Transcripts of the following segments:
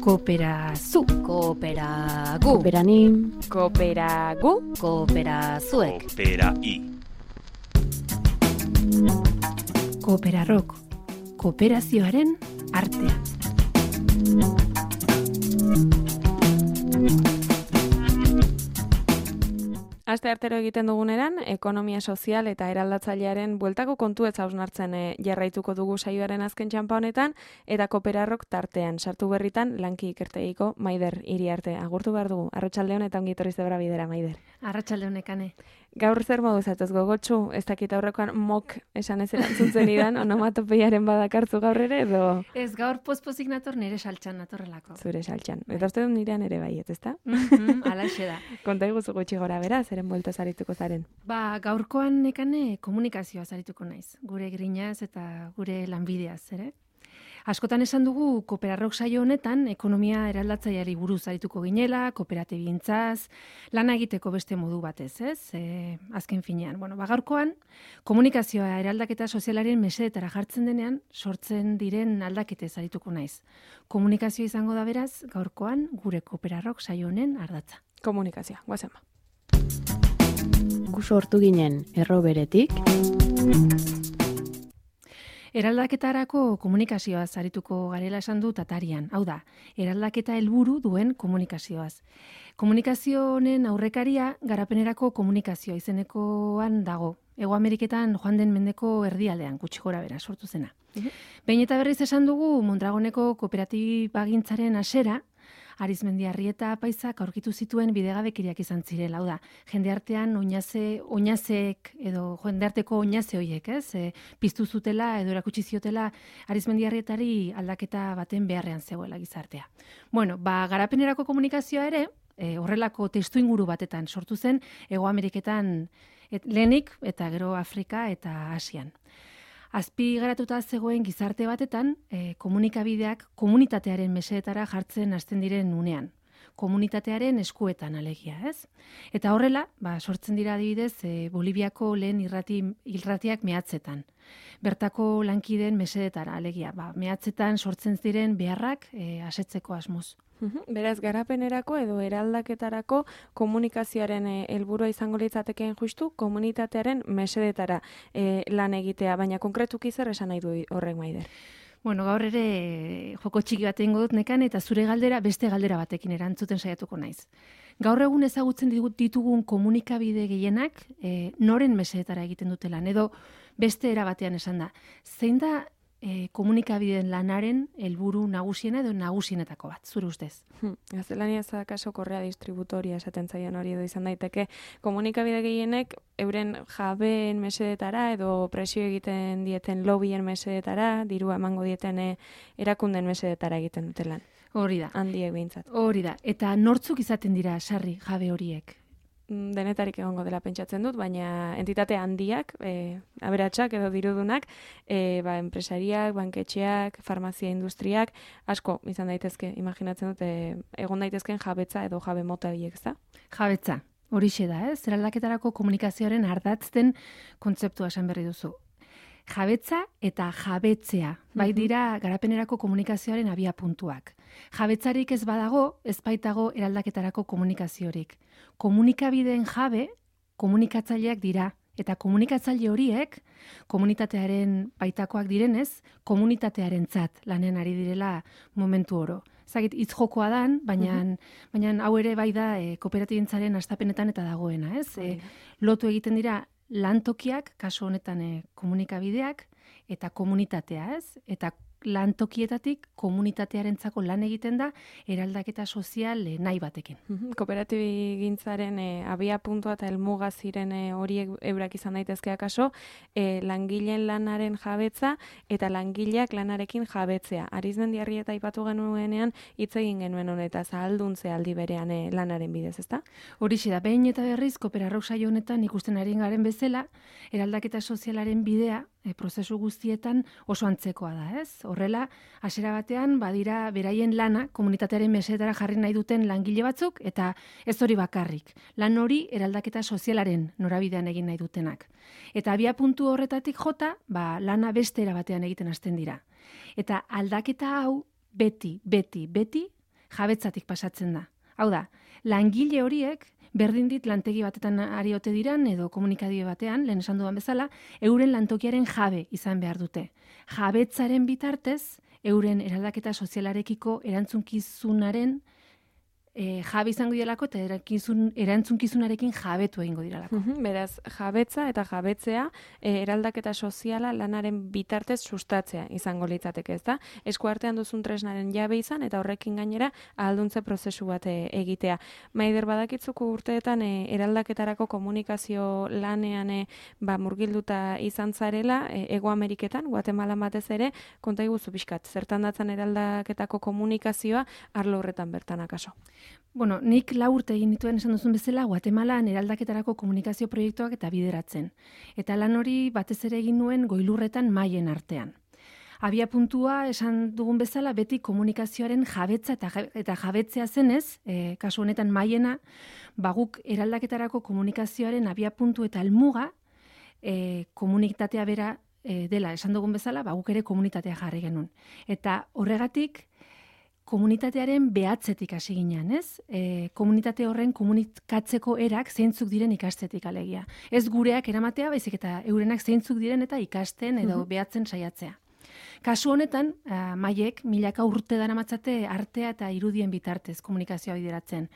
Kooperazu, Kooperagu, kooperanim, kooperagu, kooperazuek, Kooperai. Kooperarrok, kooperazioaren artea. Aste artero egiten duguneran, ekonomia sozial eta eraldatzailearen bueltako kontu ez hausnartzen jarraituko dugu saioaren azken txanpa honetan, eta Kooperarrok tartean sartu berritan lanki ikertegiko Maider Iriarte. Agurtu behar dugu, arratsaldeon eta ongi etorri zebra bidera, Maider. Arratsaldeon Ekane. Gaur zer modu zatuz gogotsu, ez dakit aurrekoan mok esan ez erantzuntzen idan, onomatopeiaren badakartzu gaur ere, edo Ez gaur pospozik nator nire saltxan natorrelako. zure saltxan. Eta uste dut nirean ere baiet, ezta? Alaxe da. Konta iguzu gutxi gora bera, zeren buelta zarituko zaren. Gaurkoan Ekane komunikazioa zarituko naiz. Gure grinaz eta gure lanbideaz, ere? Askotan esan dugu Kooperarrok saio honetan ekonomia eraldatzaileari buruz arituko ginela, kooperatibigintzaz, lana egiteko beste modu batez, ez? Azken finean. Gaurkoan komunikazioa eraldaketa sozialaren mesedetara jartzen denean sortzen diren aldaketez arituko naiz. Komunikazio izango da beraz gaurkoan gure Kooperarrok saio honen ardatza. Komunikazioa, guazen ba. gu sortu ginen erroberetik, Eraldaketarako komunikazioaz arituko garela esan dut atarian. Hau da, eraldaketa helburu duen komunikazioaz. Komunikazio honen aurrekaria garapenerako komunikazioa izenekoan dago. Hego Ameriketan joan den mendeko erdialdean, gutxi gora bera, sortu zena. Behin eta berriz esan dugu Mondragoneko kooperatibagintzaren hasera, Arizmendiarrieta Apaizak aurkitu zituen bidegabekiriak izan zirela, hau da, jendeartean oinazek edo jendearteko oinaze horiek, ez? Piztu zutela edo erakutsi ziotela Arizmendiarrietari aldaketa baten beharrean zegoela gizartea. Garapenerako komunikazioa ere, horrelako testuinguru batetan sortu zen Hego Ameriketan lehenik eta gero Afrika eta Asian. Azpi garatuta zegoen gizarte batetan, komunikabideak komunitatearen mesedetara jartzen hasten diren unean. Komunitatearen eskuetan alegia, ez? Eta horrela, sortzen dira adibidez, Boliviako lehen irratiak mehatzetan. Bertako lankideen mesedetara alegia, mehatzetan sortzen ziren beharrak asetzeko asmoz. Beraz, garapenerako edo eraldaketarako komunikazioaren helburua izango litzatekeen justu komunitatearen mesedetara lan egitea, baina konkretuki zer esan nahi du horrek, Maider? Gaur ere joko txiki bat egingo dut Nekan eta zure galdera beste galdera batekin erantzuten saiatuko naiz. Gaur egun ezagutzen ditugun komunikabide gehienak noren mesedetara egiten dute lan, edo beste era batean esan da. Zein da komunikabideen lanaren helburu nagusiena edo nagusienetako bat, zure ustez? Gaztelania ez da kaso korrea distributoria esaten zaion hori edo izan daiteke. Komunikabide gehienek euren jabeen mesedetara edo presio egiten dieten lobbyen mesedetara, dirua emango dieten erakunden mesedetara egiten dute lan. Hori da. Handiek behintzat. Hori da. Eta nortzuk izaten dira sarri jabe horiek? Denetarik egongo dela pentsatzen dut, baina entitate handiak, aberatsak edo dirudunak, enpresariak, banketxeak, farmazia industriak, asko izan daitezke, imaginatzen dut, egon daitezken jabetza edo jabe mota horiek, ezta? Jabetza, horixe da, ez? Eraldaketarako komunikazioaren ardatzten kontzeptua esan berri duzu. Jabetza eta jabetzea, bai dira garapenerako komunikazioaren abia puntuak. Jabetzarik ez badago, ez baitago eraldaketarako komunikaziorik. Komunikabideen jabe, komunikatzaileak dira, eta komunikatzaile horiek, komunitatearen baitakoak direnez, komunitatearentzat lanean ari direla momentu oro. Zagit, hitz jokoa dan, baina hau ere bai da kooperatibentzaren hastapenetan eta dagoena, ez? Lotu egiten dira lantokiak, kasu honetan komunikabideak, eta komunitatea, ez? Eta lantokietatik komunitatearentzako lan egiten da eraldaketa sozial nahi batekin. Kooperatibigintzaren abia puntua eta helmuga ziren horiek eurak izan daitezke akaso, langileen lanaren jabetza eta langileak lanarekin jabetzea. Arizmendiarrieta aipatu genuenean hitz egin genuen honetaz ahalduntzea aldi berean lanaren bidez, ezta? Horixe da, behin eta berriz Kooperarrok saio honetan ikusten ari garen bezala, eraldaketa sozialaren bidea prozesu guztietan oso antzekoa da, ez? Horrela, hasiera batean badira beraien lana komunitatearen mesedetara jarri nahi duten langile batzuk eta ez hori bakarrik. Lan hori eraldaketa sozialaren norabidean egin nahi dutenak. Eta abia puntu horretatik jota, lana beste era batean egiten hasten dira. Eta aldaketa hau beti jabetzatik pasatzen da. Hau da, langile horiek berdin dit lantegi batetan ari ote diran edo komunikabide batean, lehen esan dudan bezala, euren lantokiaren jabe izan behar dute. Jabetzaren bitartez, euren eraldaketa sozialarekiko erantzunkizunaren jabe izango direlako eta erantzunkizunarekin jabetu egingo direlako. Beraz, jabetza eta jabetzea eraldaketa soziala lanaren bitartez sustatzea izango litzateke, ezta? Eskuartean duzun tresnaren jabe izan eta horrekin gainera ahalduntze prozesu bat egitea. Maider, badakitzuko urteetan eraldaketarako komunikazio lanean murgilduta izan zarela, Hego Ameriketan, Guatemalan batez ere, konta iguzu pixkat, zertan datzan eraldaketako komunikazioa arlo horretan bertan akaso? Bueno, nik 4 urte egin dituen esan duzun bezala, Guatemalan eraldaketarako komunikazio proiektuak eta bideratzen. Eta lan hori batez ere egin nuen goilurretan maien artean. Abia puntua esan dugun bezala beti komunikazioaren jabetza eta jabetzea zenez, kasu honetan maiena, guk eraldaketarako komunikazioaren abia puntu eta helmuga komunitatea bera dela esan dugun bezala, guk ere komunitatea jarri genuen. Eta horregatik, komunitatearen behatzetik hasi ginean, ez? Komunitate horren komunikatzeko erak zeintzuk diren ikastetik alegia. Ez gureak eramatea, baizik eta eurenak zeintzuk diren eta ikasten edo behatzen saiatzea. Kasu honetan, maiek milaka urte daramatzate artea eta irudien bitartez komunikazioa bideratzen.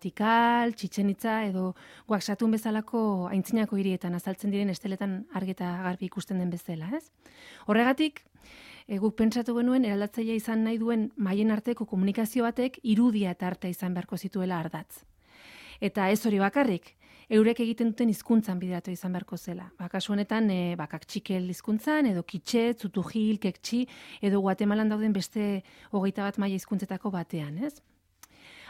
Tikal, Txitxen Itza edo Oaxatun bezalako aintzinako hirietan azaltzen diren esteletan argi eta garbi ikusten den bezala, ez? Horregatik, guk pentsatu genuen eraldatzailea izan nahi duen maien arteko komunikazio batek irudia eta artea izan beharko zituela ardatz. Eta ez hori bakarrik, eurek egiten duten hizkuntzan bideratu izan beharko zela. Kasu honetan, kakxikel hizkuntzan, edo kitxe, tzutujil, kekchi, edo Guatemalan dauden beste 21 maila hizkuntzetako batean, ez?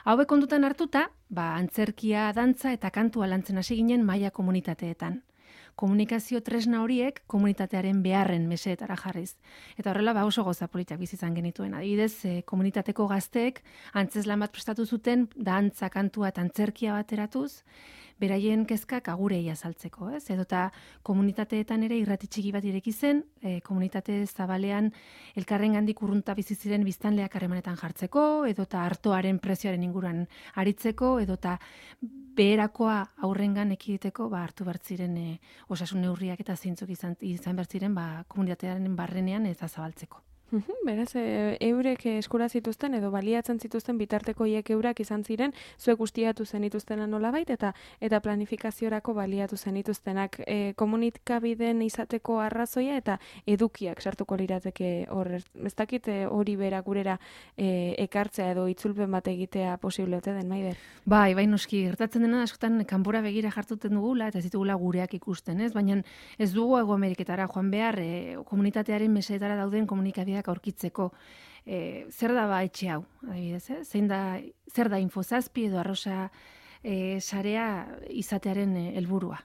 Hauek kontutan hartuta, antzerkia, dantza eta kantua lantzen hasi ginen maila komunitateetan. Komunikazio tresna horiek komunitatearen beharren meseetara jarriz. Eta horrela oso goza politak bizi izan genituen. Adibidez, komunitateko gazteek antzeslan bat prestatu zuten, dantza, kantua eta antzerkia bateratuz, beraien kezkak agurei azaltzeko, ez? Edota komunitateetan ere irrati txiki bat ireki zen, komunitate zabalean elkarrengandik urrunta bizi ziren biztanleak harremanetan jartzeko, edota artoaren prezioaren inguruan aritzeko, edota beherakoa aurrengan ekiditeko hartu bertziren osasun neurriak eta zeintzuk izan bertziren komunitatearen barrenean eta zabaltzeko. Beraz, eurek eskura zituzten edo baliatzen zituzten bitarteko hiek eurak izan ziren, zuek guztiatu zenituztena nolabait eta planifikaziorako baliatu zenituztenak komunikabideen izateko arrazoia eta edukiak sartuko lirateke hor. Ez dakit hori bera gurera ekartzea edo itzulpen bat egitea posible ote den, Maider? Bai, noski, gertatzen dena askotan kanpora begira jartuten dugula eta ez ditugula gureak ikusten, ez? Baina ez dugu Hego Ameriketara joan behar komunitatearen meseetara dauden komunikabideak aurkitzeko. Zer da etxe hau, adibidez, zer da Infozazpi edo Arrosa sarea izatearen helburua.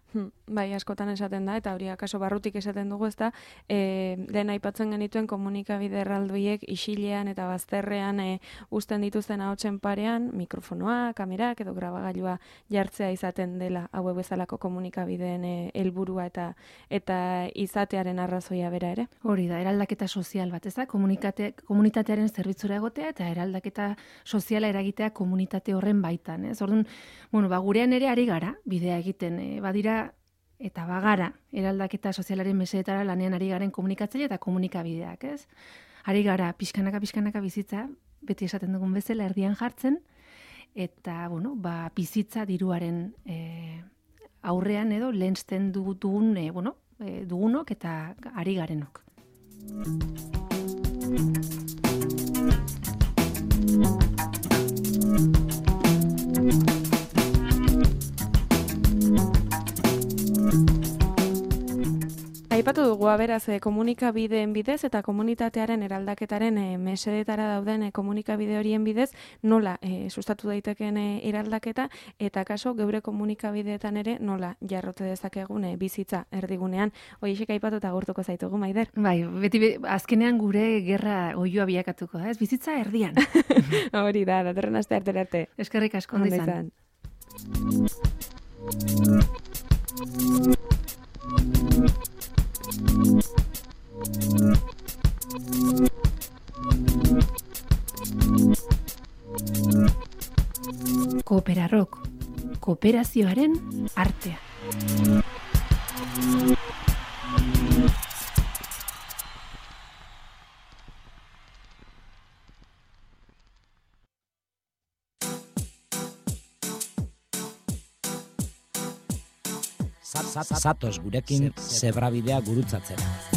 Bai, askotan esaten da, eta hori akaso barrutik esaten dugu, ezta, lehen aipatzen genituen komunikabide erraldoiek isilean eta bazterrean uzten dituzten ahotsen parean, mikrofonoa, kamerak edo grabagailua jartzea izaten dela hauek bezalako komunikabideen helburua eta izatearen arrazoia bera ere. Hori da, eraldaketa sozial bat, ez da, komunitatearen zerbitzura egotea eta eraldaketa soziala eragitea komunitate horren baitan, ez? Orduan, gurean ere ari gara, bidea egiten, badira eta bagara, eraldaketa sozialaren meseetara lanean ari garen komunikatzaile eta komunikabideak, ez? Ari gara, pixkanaka bizitza, beti esaten dugun bezala erdian jartzen, eta, bizitza diruaren aurrean edo lehensten dugunok eta ari garenok. Aipatu dugu, beraz, komunikabideen bidez eta komunitatearen eraldaketaren mesedetara dauden komunikabide horien bidez nola sustatu daitekeen eraldaketa eta kaso geure komunikabideetan ere nola jarrote dezakegun bizitza erdigunean. Hoiexek aipatu eta agurtuko zaitugu, Maider. Bai, beti azkenean gure gerra oiloa bilakatuko da, ez? Bizitza erdian. Hori da, datorren aste arte. Eskerrik asko ondo izan. Thank you. Kooperarok, kooperazioaren artea. Zatoz gurekin zebrabidea gurutzatzera.